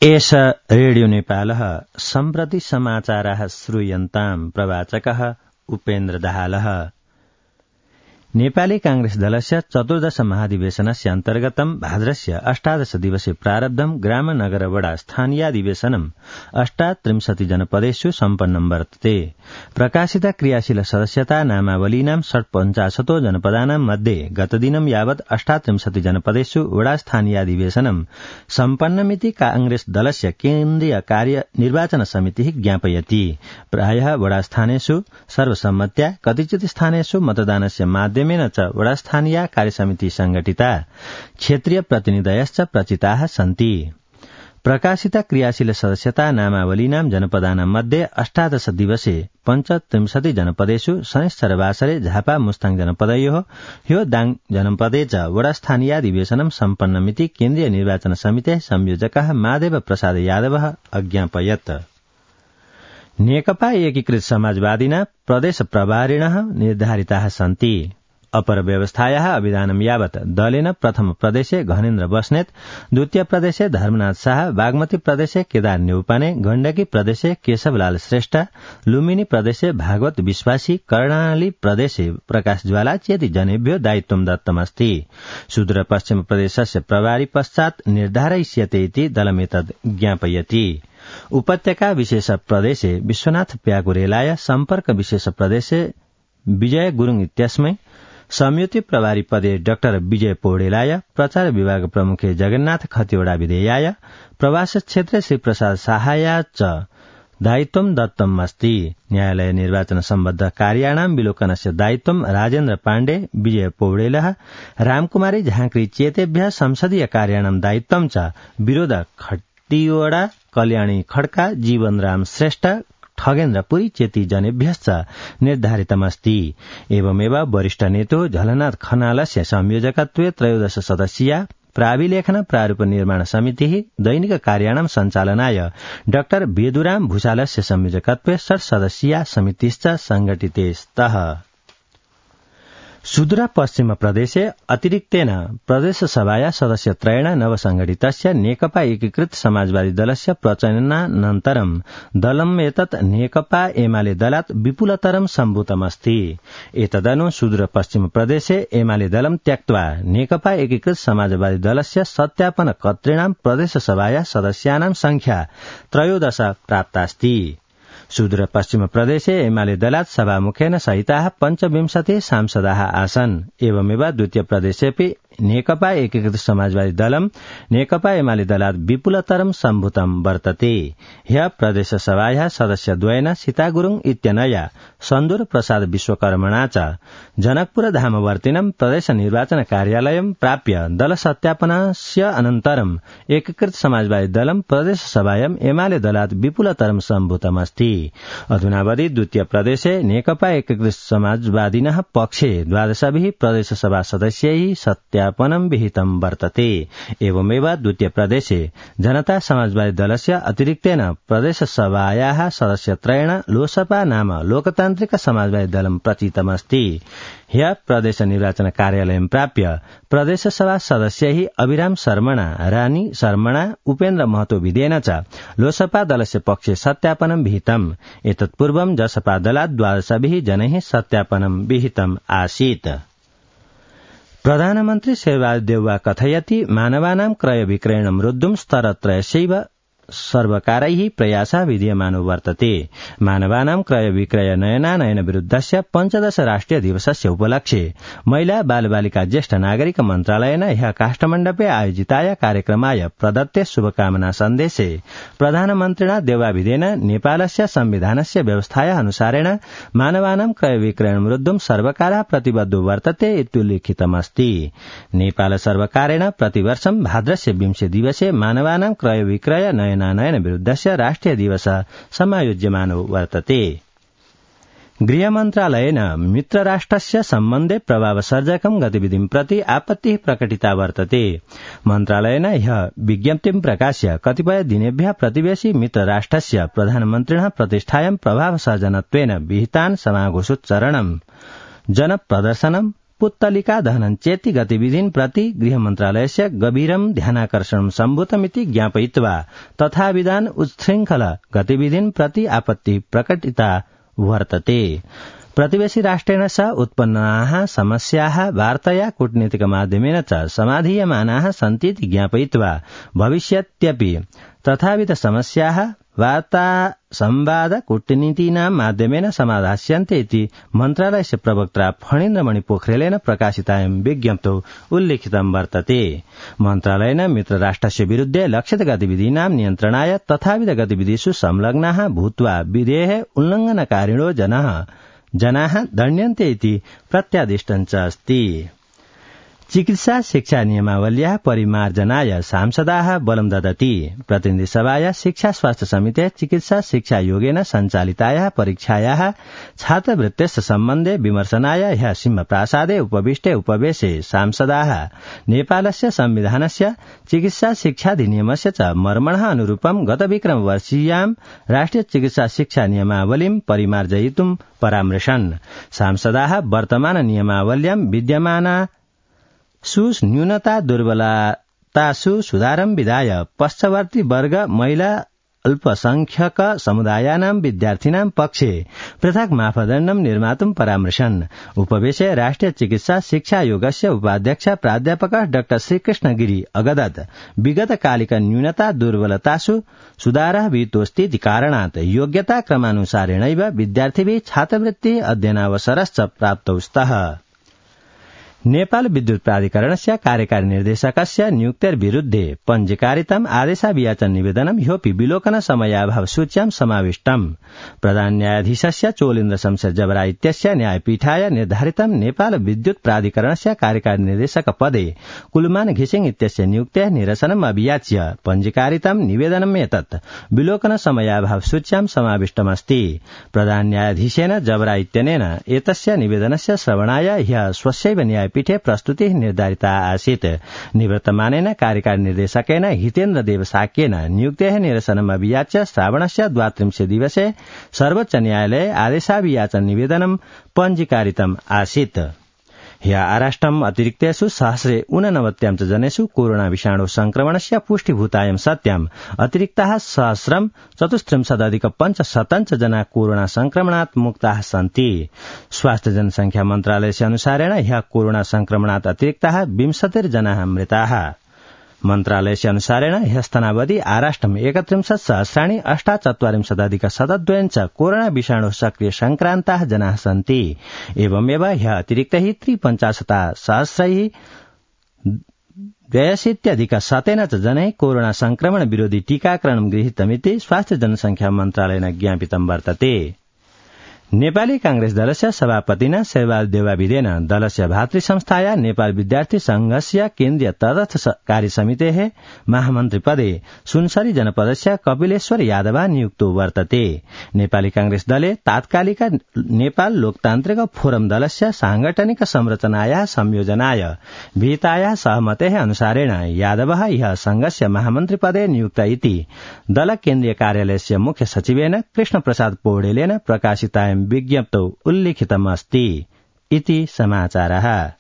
एष रेडियो नेपालः सम्प्रति समाचाराः श्रूयन्ताम् प्रवाचकः उपेन्द्र दाहालः। नेपाली कांग्रेस दलस्य चतुर्दश महाधिवेशनस्य अन्तर्गतम् भाद्रस्य 18 दिवसे प्रारब्धम् ग्राम नगर वडा स्थानीयाधिवेशनम् 38 जनपदेषु सम्पन्नम् वर्तते। प्रकाशित क्रियाशील सदस्यता नामावलीनां 50 जनपदानां मध्ये गतदिनं यावत् 38 जनपदेषु वडा स्थानीयाधिवेशनम् सम्पन्नमिति कांग्रेस दलस्य केन्द्रीय कार्य निर्वाचन समितिः ज्ञापयति। प्रायः वडा स्थानेषु सर्वसम्मत्या कतिचित् स्थानेषु मतदानस्य माध्यमेन च वडा स्थानीय कार्यसमिति संगठिता क्षेत्रीय प्रतिनिधयश्च प्रचिताः सन्ति। प्रकाशित क्रियाशील सदस्यता नामावलीनां जनपदानां मध्ये 18 दिवसे 35 जनपदेषु शनिश्चरवासरे झापा मुस्ताङ जनपदयोः ह्यो दाङ जनपदे च वडा स्थानीयाधिवेशनं सम्पन्नमिति केन्द्रीय निर्वाचन समितेः संयोजकः माधव प्रसाद यादवः अज्ञापयत्। नेकपा एकीकृत समाजवादिना प्रदेश प्रभारिणः निर्धारिताः सन्ति। अपर व्यवस्थायाः अभिधानं यावत् दलेन प्रथम प्रदेशे घनेन्द्र बस्नेत, द्वितीय प्रदेशे धर्मनाथ शाह, बागमती प्रदेशे केदार न्यौपाने, गण्डकी प्रदेशे केशवलाल श्रेष्ठ, लुम्बिनी प्रदेशे भागवत विश्वासी, कर्णाली प्रदेशे प्रकाश ज्वाला चेति जनेभ्यो दायित्वं दत्तमस्ति। सुदूर पश्चिम प्रदेशस्य प्रभारी पश्चात् निर्धारयिष्यते इति दलमेतद् ज्ञापयति। उपत्यका विशेष प्रदेशे विश्वनाथ प्याकुरेलाय, सम्पर्क विशेष प्रदेशे विजय गुरुङ इत्यस्मै, संयुति प्रभारी पदे डाक्टर विजय पौडेलाय, प्रचार विभाग प्रमुखे जगन्नाथ खतिवड़ा विधेयाय, प्रवास क्षेत्रे श्री प्रसाद साहाय च दायित्वं दत्तम् अस्ति। न्यायालय निर्वाचन सम्बद्ध कार्याणां विलोकनस्य दायित्वं राजेन्द्र पाण्डे, विजय पौडेलः, रामकुमारी झाँक्री चेतेभ्यः संसदीय कार्याणां दायित्वं च विरोध खतिवड़ा, कल्याणी खड्का, जीवनराम श्रेष्ठ, ठगेन्द्र पुरी चेती जनेभ्यश्च निर्धारितमस्ति। एवमेव वरिष्ठ नेतो झलनाथ खनालस्य संयोजकत्वे 13 सदस्यीया प्राविलेखन प्रारूप निर्माण समितिः दैनिक कार्याणां सञ्चालनाय डाक्टर बेदुराम भूषालस्य संयोजकत्वे 6 सदस्यीया समितिश्च संघटिते स्तः। सुदूर पश्चिम प्रदेशे अतिरिक्तेन प्रदेश सभाया सदस्यत्रयेण नवसंघटितस्य नेकपा एकीकृत समाजवादी दलस्य प्रचयनानन्तरं दलम् एतत् नेकपा एमाले दलात् विपुलतरं सम्भूतमस्ति। एतदनु सुदूर पश्चिम प्रदेशे एमाले दलं त्यक्त्वा नेकपा एकीकृत समाजवादी दलस्य सत्यापन कर्तॄणां प्रदेश सभाया सदस्यानां संख्या 13 प्राप्तास्ति। सुदूर पश्चिम प्रदेशे एमाले दलात् सभामुखेन सहिताः 25 सांसदाः आसन्। एवमेव द्वितीय प्रदेशेपि नेकपा एकीकृत समाजवादी दलं नेकपा एमाले दलात् विपुलतरं सम्भूतं वर्तते। ह्य प्रदेश सभायाः सदस्यद्वयेन सीता गुरुङ इत्यनया सन्दूर प्रसाद विश्वकर्मणा च जनकपुर धामवर्तिनं प्रदेश निर्वाचन कार्यालयं प्राप्य दल सत्यापनस्य अनन्तरं एकीकृत समाजवादी दलं प्रदेश सभायां एमाले दलात् विपुलतरं सम्भूतमस्ति। अधुनावधि द्वितीय प्रदेशे नेकपा एकीकृत समाजवादिनः पक्षे 12 प्रदेश सभा सदस्यैः सत्यापनं विहितं वर्तते। एवमेव द्वितीय प्रदेशे जनता समाजवादी दलस्य अतिरिक्तेन प्रदेश सभायाः सदस्यत्रयेण लोसपा नाम लोकतान्त्रिक समाजवादी दलं प्रचितमस्ति। ह्य प्रदेश निर्वाचन कार्यालयं प्राप्य प्रदेश सभा सदस्यैः अभिराम शर्मणा, रानी शर्मणा, उपेन्द्र महतो विधेन च लोसपा दलस्य पक्षे सत्यापनं विहितम्। एतत्पूर्वं जसपा दलात् 12 जनैः सत्यापनं विहितम् आसीत्। प्रधानमन्त्री शेरबहादुर देउवा कथयति मानवानां क्रय विक्रयणं रोद्धुं स्तरत्रयस्यैव सर्वकारैः प्रयासः विधीयमानो वर्तते। मानवानां क्रय विक्रय नयनानयन विरुद्धस्य 15 राष्ट्रिय दिवसस्य उपलक्ष्ये महिला बालबालिका ज्येष्ठ नागरिक मन्त्रालयेन ह्यः काष्ठमण्डपे आयोजिताय कार्यक्रमाय प्रदत्ते शुभकामना सन्देशे प्रधानमन्त्रिणा देउवाभिधेन नेपालस्य संविधानस्य व्यवस्थायाः अनुसारेण मानवानां क्रय विक्रयणं रोद्धुं सर्वकारः प्रतिबद्धो वर्तते इत्युल्लिखितमस्ति। नेपाल सर्वकारेण प्रतिवर्षं भाद्रस्य 20 दिवसे मानवानां क्रय विक्रय नयन विरुद्धस्य राष्ट्रिय दिवस समायोज्यमानो वर्तते। गृहमन्त्रालयेन मित्रराष्ट्रस्य सम्बन्धे प्रभावसर्जकं गतिविधिं प्रति आपत्तिः प्रकटिता वर्तते। मन्त्रालयेन ह्यः विज्ञप्तिं प्रकाश्य कतिपय दिनेभ्यः प्रतिवेशी मित्रराष्ट्रस्य प्रधानमन्त्रिणः प्रतिष्ठायां प्रभावसर्जनत्वेन विहितान् समाघोषोच्चारणं, जनप्रदर्शनं, पुत्तलिका दहनं चेति गतिविधिं प्रति गृहमन्त्रालयस्य गभीरं ध्यानाकर्षणं सम्भूतमिति ज्ञापयित्वा तथाविधान उच्छृङ्खल गतिविधिं प्रति आपत्ति प्रकटिता वर्तते। प्रतिवेशी राष्ट्रेण सह उत्पन्नाः समस्याः वार्तया कूटनीतिकमाध्यमेन च समाधीयमानाः सन्तीति ज्ञापयित्वा भविष्यत्यपि तथाविध समस्याः वार्ता संवाद कूटनीतीनां माध्यमेन समाधास्यन्ते इति मन्त्रालयस्य प्रवक्ता फणीन्द्रमणि पोखरेलेन प्रकाशितायां विज्ञप्तौ उल्लिखितं वर्तते। मन्त्रालयेन मित्रराष्ट्रस्य विरुद्धे लक्षित गतिविधीनां नियन्त्रणाय तथाविध गतिविधिषु संलग्नाः भूत्वा विधेः उल्लङ्घनकारिणो जनाः दण्ड्यन्ते इति प्रत्यादिष्टञ्च अस्ति। चिकित्सा शिक्षा नियमावल्याः परिमार्जनाय सांसदाः बलं ददति। प्रतिनिधिसभाया शिक्षा स्वास्थ्य समिते चिकित्सा शिक्षा योगेन सञ्चालितायाः परीक्षायाः छात्रवृत्तेश्च सम्बन्धे विमर्शनाय ह्यः सिंहप्रासादे उपविष्टे उपवेशे सांसदाः नेपालस्य संविधानस्य चिकित्सा शिक्षाधिनियमस्य च मर्मणः अनुरूपं गतविक्रमवर्षीयां राष्ट्रिय चिकित्सा शिक्षा नियमावलीं परिमार्जयितुं परामृशन्। सांसदाः वर्तमान नियमावल्यां विद्यमाना न्यूनता दुर्बलतासु सुधारं विधाय पश्चवर्ती वर्ग महिला अल्पसंख्यक समुदायानां विद्यार्थिनां पक्षे पृथक् मापदण्डं निर्मातुं परामृशन्। उपवेशे राष्ट्रिय चिकित्सा शिक्षा योगस्य उपाध्यक्ष प्राध्यापकः डॉ श्रीकृष्णगिरी अगदत् विगतकालिक न्यूनता दुर्बलतासु सुधारः विहितोऽस्ति इति कारणात् योग्यता क्रमानुसारेणैव विद्यार्थिभिः छात्रवृत्ति अध्ययनावसरश्च प्राप्तौ स्तः। नेपाल विद्युत प्राधिकरणस्य कार्यकारी निर्देशकस्य नियुक्तेर्विरुद्धे पञ्जीकारितम् आदेशाभियाचन निवेदनं ह्योपि विलोकन समयाभाव सूच्यां समाविष्टम्। प्रधान न्यायाधीशस्य चोलेन्द्र शमशेर जबरा इत्यस्य न्यायपीठाय निर्धारितं नेपाल विद्युत प्राधिकरणस्य कार्यकारी निर्देशक पदे कुलमान घिसिङ इत्यस्य नियुक्तेः निरसनम् अभियाच्य पञ्जीकारितं निवेदनम् एतत् विलोकन समयाभाव सूच्यां समाविष्टमस्ति। प्रधान न्यायाधीशेन जबरा इत्यनेन एतस्य निवेदनस्य श्रवणाय ह्यः स्वस्यैव न्यायपीठे प्रस्तुतिः निर्धारिता आसीत्। निवृत्तमानेन कार्यकारी निर्देशकेन हितेन्द्र देव साक्येन नियुक्तेः निरसनम् अभियाच्य श्रावणस्य 32 दिवसे सर्वोच्च न्यायालये आदेशाभियाचन निवेदनं पञ्जीकारितम् आसीत्। ह्यः आराष्ट्रम् अतिरिक्तेषु 189 च जनेषु कोरोना विषाणु संक्रमणस्य पुष्टिभूतायं सत्याम् अतिरिक्ताः 1034,500 जना कोरोना संक्रमणात् मुक्ताः सन्ति। स्वास्थ्य जनसंख्या मन्त्रालयस्य अनुसारेण ह्यः कोरोना संक्रमणात् अतिरिक्ताः 20 जनाः मृताः। मन्त्रालयस्य अनुसारेण ह्यस्तनावधि आराष्ट्रम् 31,48,42 च कोरोना विषाणु सक्रिय संक्रान्ताः जनाः सन्ति। एवमेव ह्यः अतिरिक्तैः 53,62,100 च जनैः कोरोना संक्रमण विरोधी टीकाकरणं गृहीतमिति स्वास्थ्य जनसंख्या मन्त्रालयेन ज्ञापितं वर्तते। नेपाली कांग्रेस दलस्य सभापतिना शेरबहादुर देउवाविदेन दलस्य भातृ संस्थाया नेपाल विद्यार्थी संघस्य केन्द्रीय तटस्थ कार्यसमितेः महामन्त्री पदे सुनसरी जनपदस्य कपिलेश्वर यादव नियुक्तो वर्तते। नेपाली कांग्रेस दले तात्कालिक नेपाल लोकतान्त्रिक फोरम दलस्य सांगठनिक संरचनायाः संयोजनाय विहितायाः सहमतेः अनुसारेण यादवः ह्यः संघस्य महामन्त्री पदे नियुक्त इति दल केन्द्रीय कार्यालयस्य मुख्य सचिवेन कृष्णप्रसाद पौडेलेन प्रकाशितायां विज्ञप्तौ उल्लिखितमस्ति इति समाचारः।